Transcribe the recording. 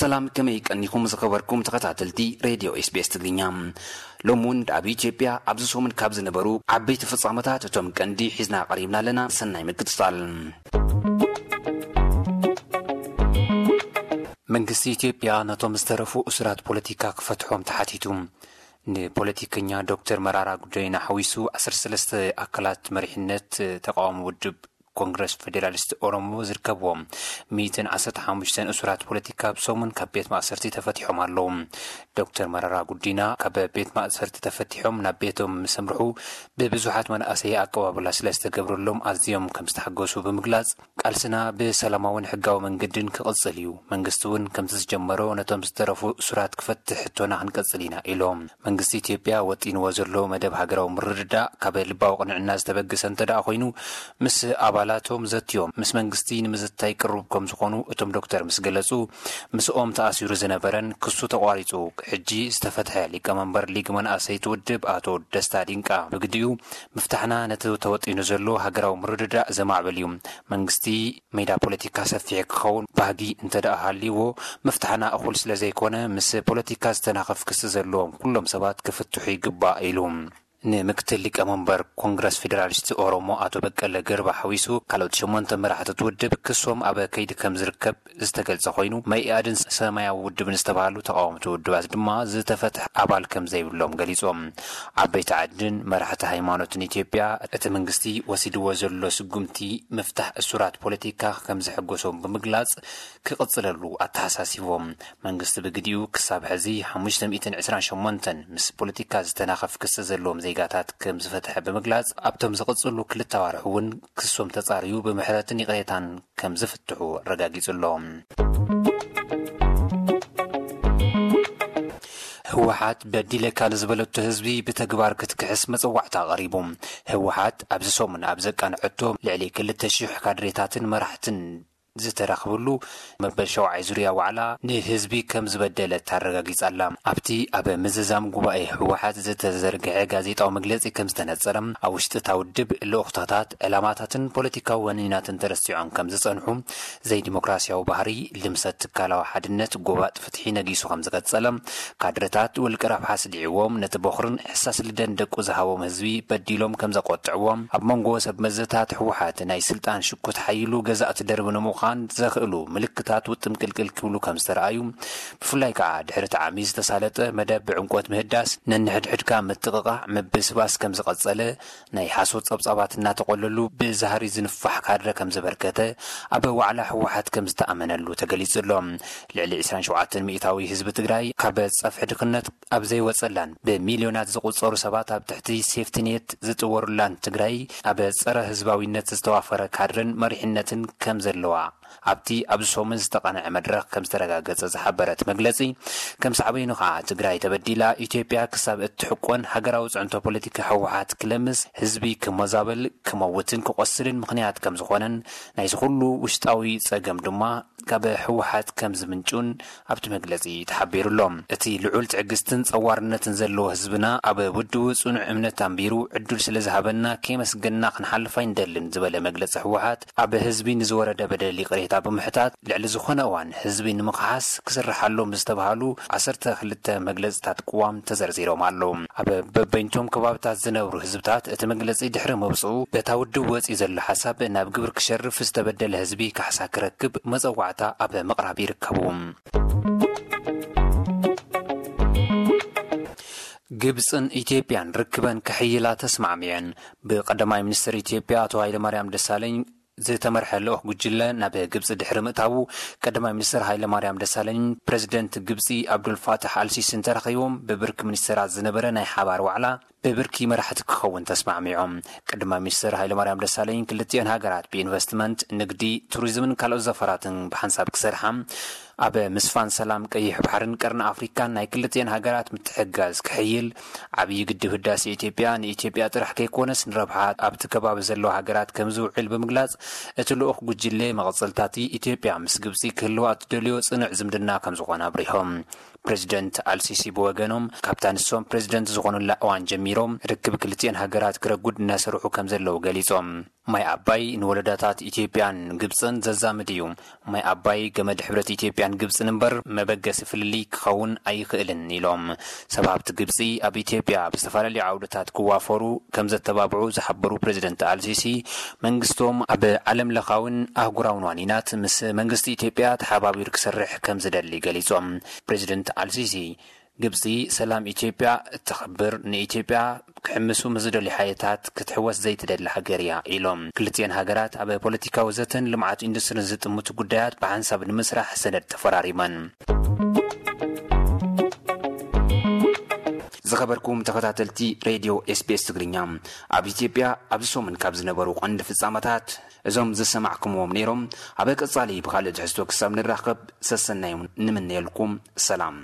ሰላም፣ ከመይ ቀኒኹም ዝኸበርኩም ተኸታተልቲ ሬድዮ ኤስቢኤስ ትግርኛ? ሎም እውን ኣብ ኢትዮጵያ ኣብዚ ሰሙን ካብ ዝነበሩ ዓበይቲ ፍጻመታት እቶም ቀንዲ ሒዝና ቀሪብና ኣለና። ሰናይ ምክትታል። መንግስቲ ኢትዮጵያ ነቶም ዝተረፉ እሱራት ፖለቲካ ክፈትሖም ተሓቲቱ። ንፖለቲከኛ ዶክተር መራራ ጉዲና ሓዊሱ ዓሰርተ ሰለስተ ኣካላት መሪሕነት ተቃዋሚ ውድብ ኮንግረስ ፌዴራሊስት ኦሮሞ ዝርከብዎም ሚእትን ዓሰርተ ሓሙሽተን እሱራት ፖለቲካ ኣብ ሰሙን ካብ ቤት ማእሰርቲ ተፈቲሖም ኣለዉ። ዶክተር መራራ ጉዲና ካብ ቤት ማእሰርቲ ተፈቲሖም ናብ ቤቶም ምስ ኣምርሑ ብብዙሓት መናእሰይ ኣቀባብላ ስለ ዝተገብረሎም ኣዝዮም ከም ዝተሓገሱ ብምግላጽ፣ ቃልስና ብሰላማውን ሕጋዊ መንገድን ክቕጽል እዩ። መንግስቲ እውን ከምቲ ዝጀመሮ ነቶም ዝተረፉ እሱራት ክፈትሕ ሕቶና ክንቀጽል ኢና ኢሎም። መንግስቲ ኢትዮጵያ ወጢንዎ ዘሎ መደብ ሃገራዊ ምርድዳእ ካብ ልባዊ ቅንዕና ዝተበገሰ እንተ ደኣ ኮይኑ፣ ምስ ኣባላቶም ዘትዮም ምስ መንግስቲ ንምዝታይ ቅሩብ ከም ዝኾኑ እቶም ዶክተር ምስ ገለጹ፣ ምስኦም ተኣሲሩ ዝነበረን ክሱ ተቋሪጹ ሕጂ ዝተፈትሐ ሊቀመንበር ሊግ መናእሰይቲ ውድብ ኣቶ ደስታ ዲንቃ ብግዲኡ፣ ምፍታሕና ነቲ ተወጢኑ ዘሎ ሃገራዊ ምርድዳእ ዘማዕብል እዩ። መንግስቲ ሜዳ ፖለቲካ ሰፊሕ ክኸውን ባህጊ እንተ ደኣ ሃልይዎ፣ ምፍታሕና እኹል ስለ ዘይኮነ፣ ምስ ፖለቲካ ዝተናኸፍ ክሲ ዘለዎም ኩሎም ሰባት ክፍትሑ ይግባእ ኢሉ። ንምክትል ሊቀመንበር ኮንግረስ ፌዴራሊስት ኦሮሞ ኣቶ በቀለ ገርባ ሓዊሱ ካልኦት ሸሞንተ መራሕቲ እቲ ውድብ ክሶም ኣብ ከይዲ ከም ዝርከብ ዝተገልጸ ኮይኑ፣ መኢኣድን ሰማያዊ ውድብን ዝተባሃሉ ተቃወምቲ ውድባት ድማ ዝተፈትሐ ኣባል ከም ዘይብሎም ገሊጾም። ዓበይቲ ዓድን መራሕቲ ሃይማኖትን ኢትዮጵያ እቲ መንግስቲ ወሲድዎ ዘሎ ስጉምቲ ምፍታሕ እሱራት ፖለቲካ ከም ዘሐጎሶም ብምግላጽ፣ ክቕጽለሉ ኣተሓሳሲቦም። መንግስቲ ብግዲኡ ክሳብ ሕዚ ሓሙሽተ ሚእትን ዕስራን ሸሞንተን ምስ ፖለቲካ ዝተናኸፍ ክሲ ዘለዎም ዜጋታት ከም ዝፈትሐ ብምግላጽ፣ ኣብቶም ዝቕጽሉ ክልተ ኣዋርሕ እውን ክሶም ተጻርዩ ብምሕረትን ይቕሬታን ከም ዝፍትሑ ኣረጋጊጹ ኣሎ። ህወሓት በዲለካ ንዝበለቶ ህዝቢ ብተግባር ክትክሕስ መጸዋዕታ ኣቕሪቡ። ህወሓት ኣብዚ ሰሙን ኣብ ዘቃንዐቶ ልዕሊ ክልተ ሽሕ ካድሬታትን መራሕትን ዝተረኽብሉ መበል ሸውዓይ ዙርያ ዋዕላ ንህዝቢ ከም ዝበደለት ኣረጋጊጻ ኣላ። ኣብቲ ኣብ ምዝዛም ጉባኤ ህወሓት ዝተዘርግሐ ጋዜጣዊ መግለጺ ከም ዝተነጸረ፣ ኣብ ውሽጢ እታ ውድብ ልኡኽታታት፣ ዕላማታትን ፖለቲካዊ ወኒናትን ተረሲዖም ከም ዝጸንሑ፣ ዘይዲሞክራሲያዊ ባህሪ፣ ልምሰት ትካላዊ ሓድነት፣ ጎባጥ ፍትሒ ነጊሱ ከም ዝቐጸለ፣ ካድረታት ውልቀ ረብሓ ስዲዕዎም ነቲ ቦኽርን ሕሳስ ልደን ደቁ ዝሃቦም ህዝቢ በዲሎም ከም ዘቆጥዕዎም፣ ኣብ መንጎ ሰብ መዘታት ህወሓት ናይ ስልጣን ሽኩት ሓይሉ ገዛእቲ ደርቢ ንምዃን ዘኽእሉ ምልክታት ውጥም ቅልቅል ክብሉ ከም ዝተረኣዩ፣ ብፍላይ ከኣ ድሕሪ እቲ ዓሚ ዝተሳለጠ መደብ ብዕምቆት ምህዳስ፣ ነንሕድሕድካ ምጥቕቓዕ፣ ምብስባስ ከም ዝቐጸለ፣ ናይ ሓሶት ጸብጻባት እናተቖለሉ ብዛህሪ ዝንፋሕ ካድረ ከም ዘበርከተ፣ ኣብ ዋዕላ ህወሓት ከም ዝተኣመነሉ ተገሊጹ ኣሎ። ልዕሊ ዕስራን ሸውዓተን ሚእታዊ ህዝቢ ትግራይ ካብ ጸፍሒ ድኽነት ኣብ ዘይወጸላን ብሚልዮናት ዝቑጸሩ ሰባት ኣብ ትሕቲ ሴፍቲኔት ዝጥወሩላን ትግራይ፣ ኣብ ጸረ ህዝባዊነት ዝተዋፈረ ካድረን መሪሕነትን ከም ዘለዋ ኣብቲ ኣብዚ ሰሙን ዝተቓንዐ መድረኽ ከም ዝተረጋገጸ ዝሓበረ እቲ መግለጺ፣ ከም ሳዕቤኑ ከኣ ትግራይ ተበዲላ ኢትዮጵያ ክሳብ እትሕቆን ሃገራዊ ጽዕንቶ ፖለቲካ ህወሓት ክለምስ፣ ህዝቢ ክመዛበል፣ ክመውትን ክቖስልን ምኽንያት ከም ዝኾነን፣ ናይዚ ኩሉ ውሽጣዊ ጸገም ድማ ካብ ህወሓት ከም ዝምንጩን ኣብቲ መግለጺ ተሓቢሩ ኣሎ። እቲ ልዑል ትዕግስትን ጸዋርነትን ዘለዎ ህዝብና ኣብ ውድቡ ጽኑዕ እምነት ኣንቢሩ ዕድል ስለ ዝሃበና ከየመስገንና ክንሓልፍ ኣይንደልን ዝበለ መግለጺ ህወሓት፣ ኣብ ህዝቢ ንዝወረደ በደል ይቕሬታ ብምሕታት፣ ልዕሊ ዝኾነ እዋን ህዝቢ ንምኽሓስ ክስርሓሎም ዝተባሃሉ ዓሰርተ ክልተ መግለጽታት ቅዋም ተዘርዚሮም ኣለዉ። ኣብ በበይንቶም ከባብታት ዝነብሩ ህዝብታት እቲ መግለጺ ድሕሪ ምውጽኡ፣ በታ ውድብ ወጺኡ ዘሎ ሓሳብ ናብ ግብሪ ክሸርፍ፣ ዝተበደለ ህዝቢ ካሕሳ ክረክብ መጸዋዕታ ኣብ ምቕራብ ይርከቡ። ግብጽን ኢትዮጵያን ርክበን ከሕይላ ተስማዕሚዐን። ብቀዳማይ ሚኒስትር ኢትዮጵያ ኣቶ ሃይለማርያም ደሳለኝ ዝተመርሐ ልኡኽ ጉጅለ ናብ ግብጺ ድሕሪ ምእታዉ፣ ቀዳማይ ሚኒስትር ሃይለማርያም ደሳለኝን ፕረዚደንት ግብጺ ኣብዱልፋታሕ ኣልሲሲን ተራኺቦም ብብርኪ ሚኒስትራት ዝነበረ ናይ ሓባር ዋዕላ ብብርኪ መራሕቲ ክኸውን ተስማዕሚዖም። ቀዳማይ ሚኒስትር ሃይለማርያም ደሳለኝ ክልቲኦን ሃገራት ብኢንቨስትመንት፣ ንግዲ፣ ቱሪዝምን ካልኦት ዘፈራትን ብሓንሳብ ክሰርሓ፣ ኣብ ምስፋን ሰላም ቀይሕ ባሕርን ቀርኒ ኣፍሪካን ናይ ክልቲኤን ሃገራት ምትሕግጋዝ ክሕይል፣ ዓብዪ ግድብ ህዳሴ ኢትዮጵያ ንኢትዮጵያ ጥራሕ ከይኮነስ ንረብሓ ኣብቲ ከባቢ ዘለዋ ሃገራት ከም ዝውዕል ብምግላጽ፣ እቲ ልኡኽ ጉጅለ መቐጸልታቲ ኢትዮጵያ ምስ ግብጺ ክህልዋ እትደልዮ ጽኑዕ ዝምድና ከም ዝኾነ ኣብሪሆም። ፕሬዚደንት ኣልሲሲ ብወገኖም፣ ካብታ ንሶም ፕሬዚደንት ዝኾኑላ እዋን ጀሚሮም ርክብ ክልቲኤን ሃገራት ክረጉድ እናሰርሑ ከም ዘለዉ ገሊጾም። ማይ ኣባይ ንወለዳታት ኢትዮጵያን ግብጽን ዘዛምድ እዩ። ማይ ኣባይ ገመድ ሕብረት ኢትዮጵያን ግብጽን እምበር መበገሲ ፍልልይ ክኸውን ኣይኽእልን ኢሎም። ሰብ ሃብቲ ግብጺ ኣብ ኢትዮጵያ ኣብ ዝተፈላለዩ ዓውድታት ክዋፈሩ ከም ዘተባብዑ ዝሓበሩ ፕሬዚደንት ኣልሲሲ፣ መንግስቶም ኣብ ዓለም ለኻውን ኣህጉራውን ዋኒናት ምስ መንግስቲ ኢትዮጵያ ተሓባቢሩ ክሰርሕ ከም ዝደሊ ገሊጾም። ፕሬዚደንት ኣልሲሲ፣ ግብጺ ሰላም ኢትዮጵያ እተኽብር፣ ንኢትዮጵያ ክሕምሱ ምስ ዝደልዩ ሓይልታት ክትሕወስ ዘይትደሊ ሃገር እያ ኢሎም። ክልቲኤን ሃገራት ኣብ ፖለቲካዊ ዘተን ልምዓት ኢንዱስትሪን ዝጥምቱ ጉዳያት ብሓንሳብ ንምስራሕ ሰነድ ተፈራሪመን። ዝኸበርኩም ተኸታተልቲ ሬድዮ ኤስቢኤስ ትግርኛ፣ ኣብ ኢትዮጵያ ኣብዚ ሰሙን ካብ ዝነበሩ ቀንዲ ፍጻመታት እዞም ዝሰማዕኩምዎም ነይሮም። ኣብ ቀጻሊ ብኻልእ ትሕዝቶ ክሳብ ንራኸብ ሰሰናዮም ንምነየልኩም። ሰላም።